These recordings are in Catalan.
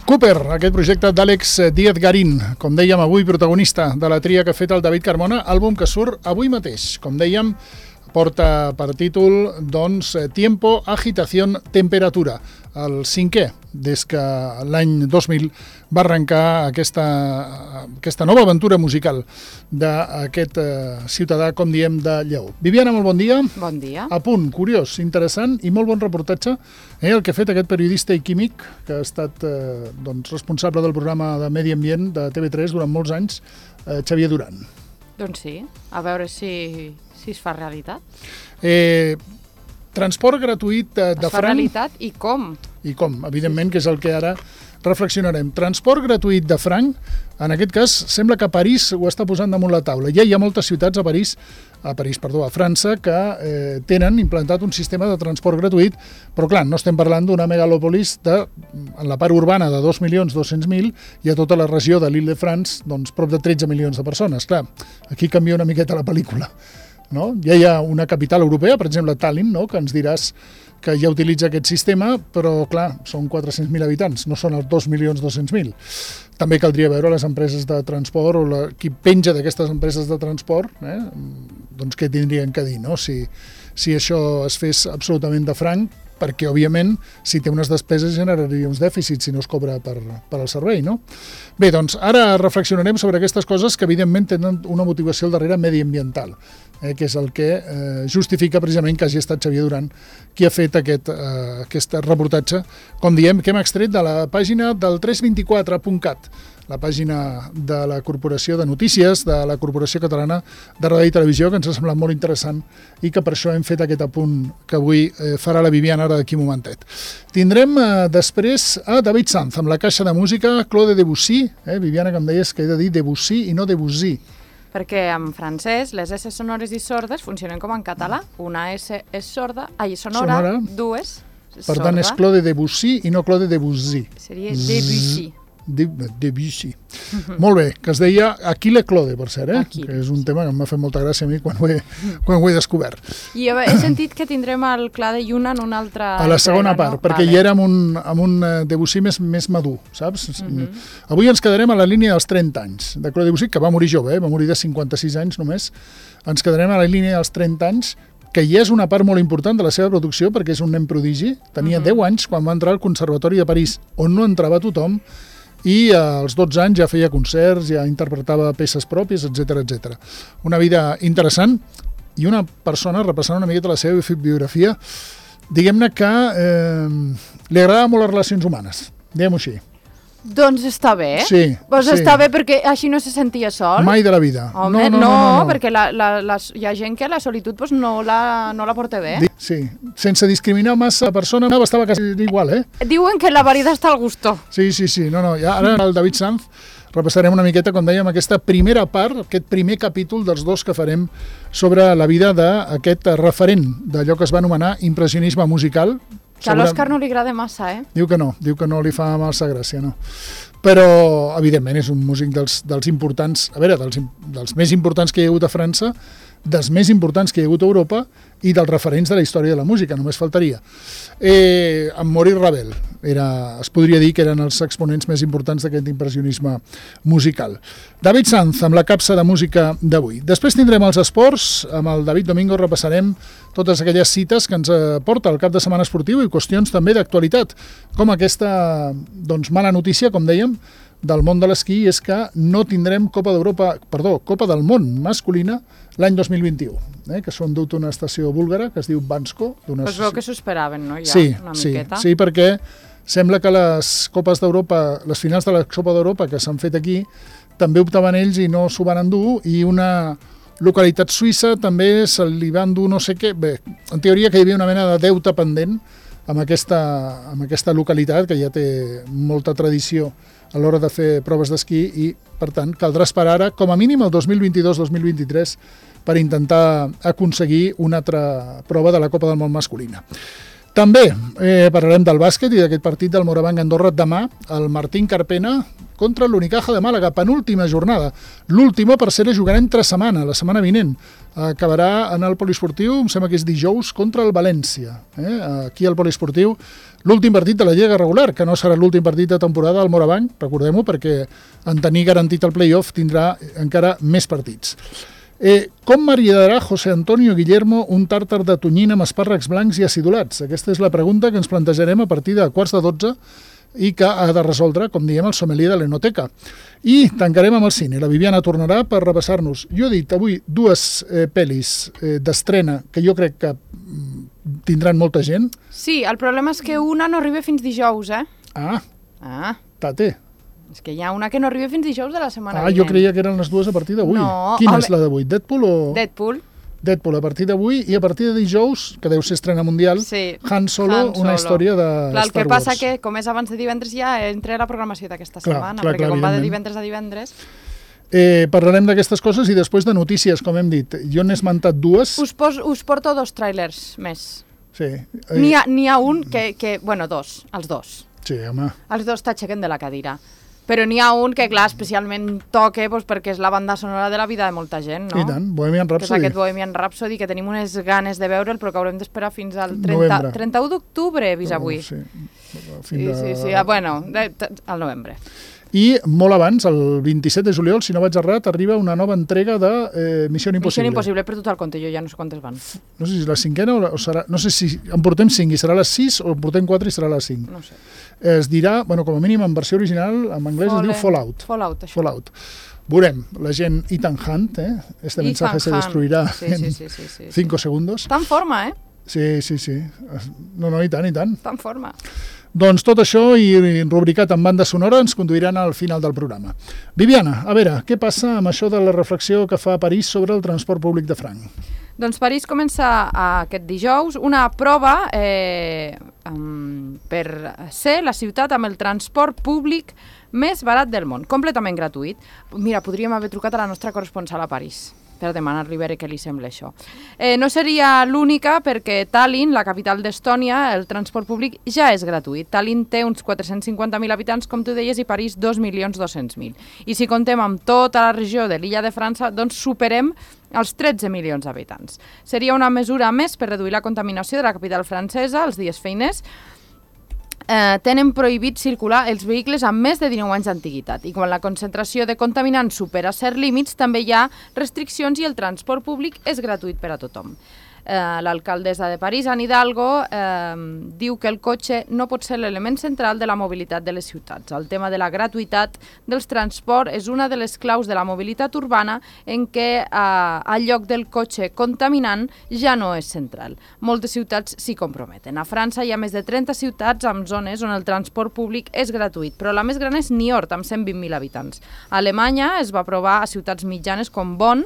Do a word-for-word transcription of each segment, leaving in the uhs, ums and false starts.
Cooper, aquest projecte d'Àlex Díaz Garín, com dèiem avui, protagonista de la tria que ha fet el David Carmona, àlbum que surt avui mateix. Com dèiem, porta per títol, doncs, Tiempo, Agitación, Temperatura, el cinquè, des que l'any dos mil va arrencar aquesta, aquesta nova aventura musical d'aquest eh, ciutadà, com diem, de Lleó. Viviana, molt bon dia. Bon dia. A punt, curiós, interessant i molt bon reportatge, eh, el que ha fet aquest periodista i químic, que ha estat eh, doncs, responsable del programa de Medi Ambient de T V tres durant molts anys, eh, Xavier Duran. Doncs sí, a veure si, si es fa realitat. Eh, transport gratuït de, de es fa franc... realitat i com? I com, evidentment, que és el que ara reflexionarem. Transport gratuït de franc, en aquest cas, sembla que París ho està posant damunt la taula. Ja hi ha moltes ciutats a París, a París, perdó, a França, que eh, tenen implantat un sistema de transport gratuït, però clar, no estem parlant d'una megalòpolis de, en la part urbana de dos milions dos-cents mil i a tota la regió de l'Île-de-France, doncs prop de tretze milions de persones. Clar, aquí canvia una miqueta la pel·lícula. No? Ja hi ha una capital europea, per exemple Tallinn, no? Que ens diràs que ja utilitza aquest sistema, però clar, són quatre-cents mil habitants, no són els dos milions dos-cents mil. També caldria veure les empreses de transport o la, qui penja d'aquestes empreses de transport, eh? Doncs què tindrien que dir, no? Si, si això es fes absolutament de franc, perquè, òbviament, si té unes despeses generaria uns dèficits si no es cobra per, per al servei, no? Bé, doncs, ara reflexionarem sobre aquestes coses que, evidentment, tenen una motivació al darrere mediambiental, eh, que és el que eh, justifica precisament que hagi estat Xavier Duran qui ha fet aquest, eh, aquest reportatge, com diem, que hem extret de la pàgina del tres vint quatre punt cat, la pàgina de la Corporació de Notícies, de la Corporació Catalana de Ràdio i Televisió, que ens ha semblat molt interessant i que per això hem fet aquest apunt que avui eh, farà la Viviana ara d'aquí un momentet. Tindrem eh, després a David Sanz, amb la caixa de música, Claude Debussy, eh, Viviana, que em deies que he de dir Debussy i no Debussy. Perquè en francès les S sonores i sordes funcionen com en català. Una S és sorda, ai, sonora, sonora. dues Per sorda. Tant, és Claude Debussy i no Claude Debussy. Seria Debussy. De, Debussy. Uh-huh. Molt bé, que es deia Aquile Claude, per cert, eh? Aquile. Que és un tema que m'ha fet molta gràcia a mi quan ho he, quan ho he descobert. I he sentit que tindrem el Claude Yuna en una altra... A la segona entrega, part, no? Perquè vale. Hi era amb un, amb un Debussy més, més madur, saps? Uh-huh. Avui ens quedarem a la línia dels trenta anys de Claude Debussy, que va morir jove, eh? Va morir de cinquanta-sis anys només. Ens quedarem a la línia dels trenta anys, que ja és una part molt important de la seva producció, perquè és un nen prodigi. Tenia uh-huh. deu anys quan va entrar al Conservatori de París, on no entrava tothom, i als dotze anys ja feia concerts, ja interpretava peces pròpies, etcètera, etcètera. Una vida interessant i una persona, repassant una miqueta la seva biografia, diguem-ne que eh, li agradaven molt les relacions humanes, diguem-ho així. Doncs està bé. Sí. Doncs sí. està bé perquè així no se sentia sol. Mai de la vida. Home, no, no, no, no, no, no. perquè la, la, la, hi ha gent que la solitud pues, no, la, no la porta bé. Sí, sense discriminar massa la persona, estava quasi igual, eh? Diuen que la variedad està al gusto. Sí, sí, sí. No, no. Ja, ara el David Sanz repassarem una miqueta, com dèiem, aquesta primera part, aquest primer capítol dels dos que farem sobre la vida d'aquest referent d'allò que es va anomenar impressionisme musical. Que a l'Òscar no li agrada massa, eh? Diu que no, diu que no li fa massa gràcia, no. Però, evidentment, és un músic dels, dels importants, a veure, dels, dels més importants que hi ha hagut a França, dels més importants que hi ha hagut a Europa i dels referents de la història de la música, només faltaria. Eh, en Maurice Ravel, era, es podria dir que eren els exponents més importants d'aquest impressionisme musical. David Sanz, amb la capsa de música d'avui. Després tindrem els esports, amb el David Domingo repassarem totes aquelles cites que ens porta el cap de setmana esportiu i qüestions també d'actualitat, com aquesta doncs, mala notícia, com dèiem, del món de l'esquí, és que no tindrem Copa d'Europa, perdó, Copa del Món masculina l'any dos mil vint-i-u, eh, que són dut una estació búlgara que es diu Bansko. Pues veu que s'ho esperaven, no? Ja, sí, una sí, miqueta. sí, perquè sembla que les Copes d'Europa, les finals de la Copa d'Europa que s'han fet aquí, també optaven ells i no s'ho van endur, i una localitat suïssa també se li va endur no sé què. Bé, en teoria que hi havia una mena de deute pendent amb aquesta, amb aquesta localitat que ja té molta tradició a l'hora de fer proves d'esquí i, per tant, caldrà esperar ara, com a mínim el dos mil vint-i-dos dos mil vint-i-tres per intentar aconseguir una altra prova de la Copa del Món masculina. També eh, parlarem del bàsquet i d'aquest partit del Morabanc Andorra demà, el Martín Carpena contra l'Unicaja de Màlaga, penúltima jornada. L'última, per ser, jugarà entre setmana, la setmana vinent. acabarà en el poliesportiu, em sembla que és dijous, contra el València. Eh? Aquí al poliesportiu, l'últim partit de la Lliga regular, que no serà l'últim partit de temporada al Morabanc, recordem-ho, perquè en tenir garantit el play-off tindrà encara més partits. Eh, com maridarà José Antonio Guillermo un tàrtar de tonyina amb espàrrecs blancs i acidulats? Aquesta és la pregunta que ens plantejarem a partir de quarts de dotze i que ha de resoldre, com diem, el sommelier de l'Enoteca. I tancarem amb el cine. La Viviana tornarà per repassar-nos. Jo he dit avui dues eh, pel·lis eh, d'estrena que jo crec que mm, tindran molta gent. Sí, el problema és que una no arriba fins dijous, eh? Ah, Ah, tate. és que hi ha una que no arriba fins dijous de la setmana Ah, vinent. jo creia que eren les dues a partir d'avui. No, Quina home, és la d'avui? Deadpool o...? Deadpool. Deadpool a partir d'avui i a partir de dijous, que deu ser estrena mundial, Sí, Han Solo, Han Solo. una història de Clar, el Star que passa Wars. que, com és abans de divendres, ja entra a la programació d'aquesta Clar, setmana, clar, perquè clar, com va de evidentment. divendres a divendres... Eh, parlarem d'aquestes coses i després de notícies, com hem dit. Jo n'he esmentat dues. Us, pos, us porto dos trailers més. Sí, eh, N'hi ha, n'hi ha un que, que... Bueno, dos, els dos. sí, home. Els dos t'aixequen de la cadira. Però n'hi ha un que, clar, especialment toca doncs, perquè és la banda sonora de la vida de molta gent, no? I tant, Bohemian Que és Rhapsody. aquest Bohemian Rhapsody, que tenim unes ganes de veure'l, però que haurem d'esperar fins al Novembre. trenta, trenta-u d'octubre, he vist avui. Sí, Sí, fins sí, de... sí, ah, bueno, de, de, al novembre. I molt abans, el vint-i-set de juliol, si no vaig errat, arriba una nova entrega de eh, Missió Missió Impossible. Impossible, per tot el compte, jo ja no sé quantes van. No sé si és la cinquena o, la, o serà... No sé si en portem cinc i serà les sis o en portem quatre i serà les cinc. No sé. Es dirà, bueno, com a mínim en versió original, en anglès es diu Fallout. Fallout, això. Fallout. Veurem, la gent Ethan Hunt, eh? Este Ethan mensaje se Hunt. destruirá Sí, en sí, sí, sí, sí. cinco segundos. Està en forma, eh? Sí, sí, sí. No, no, i tant, i tant. Està en forma. Doncs tot això i rubricat en banda sonora ens conduiran al final del programa. Viviana, a veure, què passa amb això de la reflexió que fa París sobre el transport públic de franc? Doncs París comença aquest dijous una prova eh, um, per ser la ciutat amb el transport públic més barat del món, completament gratuït. Mira, podríem haver trucat a la nostra corresponsal a París per demanar-li veure què li sembla això. Eh, no seria l'única perquè Tallinn, la capital d'Estònia, el transport públic ja és gratuït. Tallinn té uns quatre-cents cinquanta mil habitants, com tu deies, i París dos milions dos-cents mil. I si contem amb tota la regió de l'illa de França, doncs superem els tretze milions d'habitants. Seria una mesura més per reduir la contaminació de la capital francesa els dies feiners. Eh, tenen prohibit circular els vehicles amb més de dinou anys d'antiguitat i quan la concentració de contaminants supera certs límits també hi ha restriccions i el transport públic és gratuït per a tothom. Eh, l'alcaldessa de París, Anne Hidalgo, eh, diu que el cotxe no pot ser l'element central de la mobilitat de les ciutats. El tema de la gratuïtat dels transports és una de les claus de la mobilitat urbana en què eh, el lloc del cotxe contaminant ja no és central. Moltes ciutats s'hi comprometen. A França hi ha més de trenta ciutats amb zones on el transport públic és gratuït, però la més gran és Niort, amb cent vint mil habitants. A Alemanya es va aprovar a ciutats mitjanes com Bonn,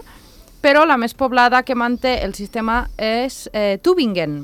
però la més poblada que manté el sistema és eh, Tübingen,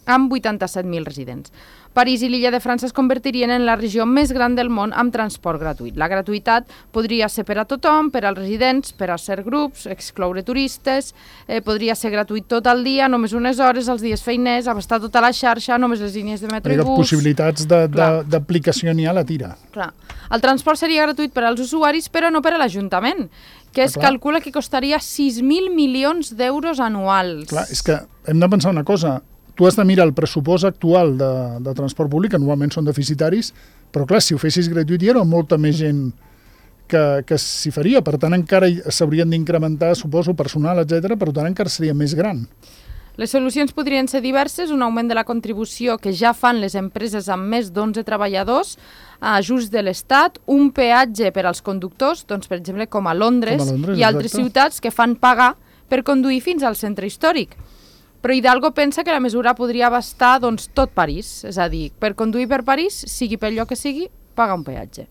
amb vuitanta-set mil residents. París i l'illa de França es convertirien en la regió més gran del món amb transport gratuït. La gratuïtat podria ser per a tothom, per als residents, per a certs grups, excloure turistes, eh, podria ser gratuït tot el dia, només unes hores, els dies feiners, abastar tota la xarxa, només les línies de metro i bus... Possibilitats d'aplicació n'hi ha a la tira. Clar. El transport seria gratuït per als usuaris, però no per a l'Ajuntament, que es Clar. calcula que costaria sis mil milions d'euros anuals. Clar, és que hem de pensar una cosa. Tu has de mirar el pressupost actual de, de transport públic, que normalment són deficitaris, però clar, si ho fessis gratuït hi ha molta més gent que, que s'hi faria. Per tant, encara s'haurien d'incrementar, suposo, personal, etcètera. Per tant, encara seria més gran. Les solucions podrien ser diverses, un augment de la contribució que ja fan les empreses amb més d'onze treballadors, ajuts de l'Estat, un peatge per als conductors, doncs, per exemple, com a Londres, com a Londres i altres exacte. ciutats que fan pagar per conduir fins al centre històric. Però Hidalgo pensa que la mesura podria abastar doncs, tot París, és a dir, per conduir per París, sigui pel lloc que sigui, paga un peatge.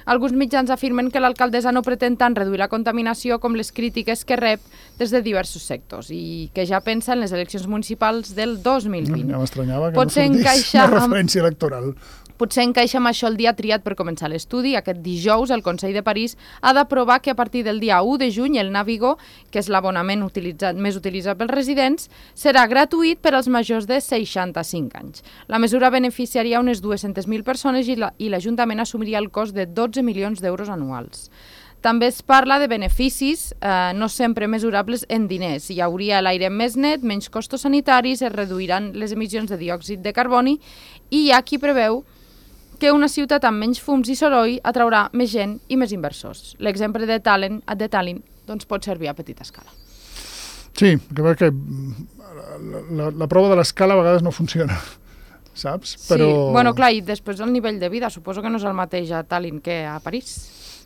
Alguns mitjans afirmen que l'alcaldessa no pretén tant reduir la contaminació com les crítiques que rep des de diversos sectors i que ja pensa en les eleccions municipals del dos mil vint. Ja m'estranyava que Potser no sortís encaixa una amb- referència electoral. Potser encaixa amb això el dia triat per començar l'estudi. Aquest dijous el Consell de París ha d'aprovar que a partir del dia u de juny el Navigo, que és l'abonament utilitzat, més utilitzat pels residents, serà gratuït per als majors de seixanta-cinc anys. La mesura beneficiaria unes dues-centes mil persones i la- i l'Ajuntament assumiria el cost de dotze milions d'euros anuals. També es parla de beneficis eh, no sempre mesurables en diners. Hi hauria l'aire més net, menys costos sanitaris, es reduiran les emissions de diòxid de carboni i hi ha qui preveu que una ciutat amb menys fums i soroll atraurà més gent i més inversors. L'exemple de Tallinn, de Tallinn doncs pot servir a petita escala. Sí, que, que la, la, la prova de l'escala a vegades no funciona, saps? Però... Sí, bueno, clar, i després el nivell de vida, suposo que no és el mateix a Tallinn que a París.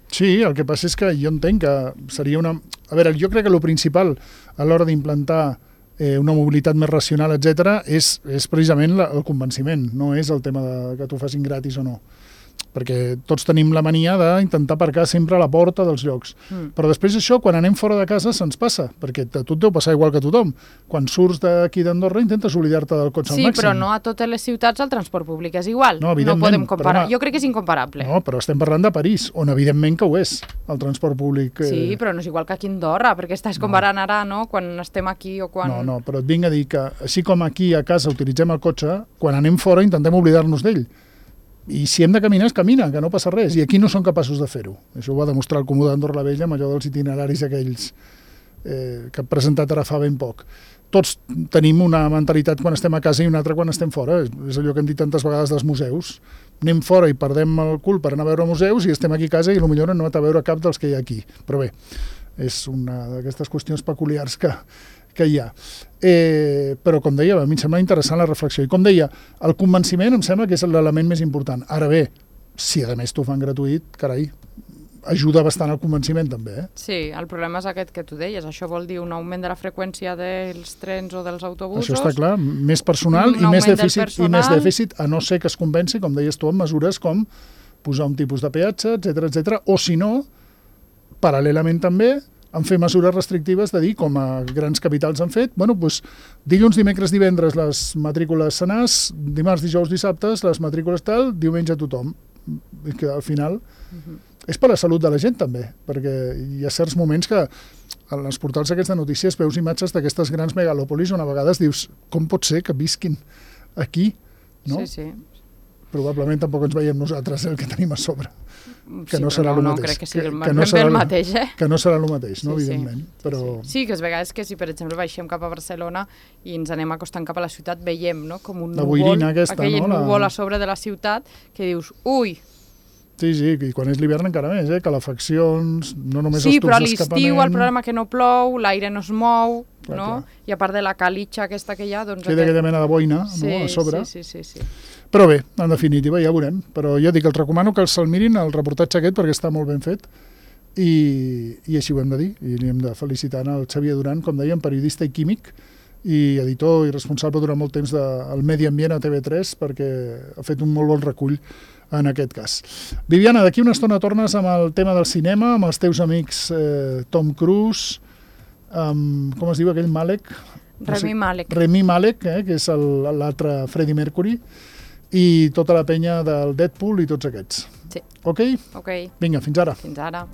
Sí, el que passa és que jo entenc que seria una... A veure, jo crec que el principal a l'hora d'implantar eh, una mobilitat més racional, etcètera, és, és precisament la, el convenciment, no és el tema de que t'ho facin gratis o no. Perquè tots tenim la mania d'intentar aparcar sempre a la porta dels llocs. Mm. Però després això, quan anem fora de casa, se'ns passa, perquè a tu et deu passar igual que a tothom. Quan surts d'aquí d'Andorra intentes oblidar-te del cotxe sí, al màxim. Sí, però no a totes les ciutats el transport públic és igual. No, no podem comparar. Però, jo crec que és incomparable. No, però estem parlant de París, on evidentment que ho és, el transport públic. Eh... Sí, però no és igual que aquí a Andorra, perquè estàs comparant no. ara, no?, quan estem aquí o quan... No, no, però et vinc a dir que, així com aquí a casa utilitzem el cotxe, quan anem fora intentem oblidar-nos d'ell. I si hem de caminar, es camina, que no passa res. I aquí no són capaços de fer-ho. Això ho va demostrar el Comú d'Andorra la Vella amb allò dels itineraris aquells eh, que han presentat ara fa ben poc. Tots tenim una mentalitat quan estem a casa i una altra quan estem fora. És allò que hem dit tantes vegades dels museus. Anem fora i perdem el cul per anar a veure museus i estem aquí a casa i potser no hem anat a veure cap dels que hi ha aquí. Però bé, és una d'aquestes qüestions peculiars que... que hi ha. Eh, però, com deia, a mi em sembla interessant la reflexió. I, com deia, el convenciment em sembla que és l'element més important. Ara bé, si a més t'ho fan gratuït, carai, ajuda bastant al convenciment, també. Eh? Sí, el problema és aquest que tu deies. Això vol dir un augment de la freqüència dels trens o dels autobusos. Això està clar. Més personal i més dèficit, i més dèficit, a no ser que es convenci, com deies tu, amb mesures com posar un tipus de peatge, etcètera, etcètera, o si no, paral·lelament també, en fer mesures restrictives de dir, com a grans capitals han fet, bueno, doncs, dilluns, dimecres, divendres les matrícules senars, dimarts, dijous, dissabtes, les matrícules tal, diumenge a tothom. I que al final uh-huh. és per la salut de la gent també, perquè hi ha certs moments que en els portals aquests de notícies veus imatges d'aquestes grans megalòpolis on a vegades dius, com pot ser que visquin aquí? No? Sí, sí. Probablement tampoc ens veiem nosaltres el que tenim a sobre. Que sí, no serà no, el no, mateix. crec que sigui el, que, que no serà el mateix, eh? Que no serà el mateix, no, sí, evidentment. Sí. Però... Sí. sí, que és vegades que si, per exemple, baixem cap a Barcelona i ens anem acostant cap a la ciutat, veiem, no?, com un la núvol, aquesta, aquell no? núvol la... a sobre de la ciutat, que dius, ui... Sí, sí, i quan és l'hivern encara més, eh? Calefaccions, no només sí, els tubs d'escapament... Sí, però a l'estiu el problema que no plou, l'aire no es mou, clar, no? Clar. I a part de la calitxa aquesta que hi ha... Doncs queda aquest... aquella mena de boina, sí, no?, a sobre. Sí, sí, sí, sí. Però bé, en definitiva, ja veurem. Però jo dic, els recomano que se'l mirin, el reportatge aquest, perquè està molt ben fet, i, i així ho hem de dir. I li hem de felicitar al Xavier Duran, com dèiem, periodista i químic, i editor i responsable durant molt temps del Medi Ambient a T V tres, perquè ha fet un molt bon recull en aquest cas. Viviana, d'aquí una estona tornes amb el tema del cinema, amb els teus amics eh, Tom Cruise, amb, com es diu aquell Malek? Rami Malek. Rami Malek, eh, que és l'altre Freddie Mercury, i tota la penya del Deadpool i tots aquests. Sí. Ok? Ok. Vinga, fins ara. Fins ara.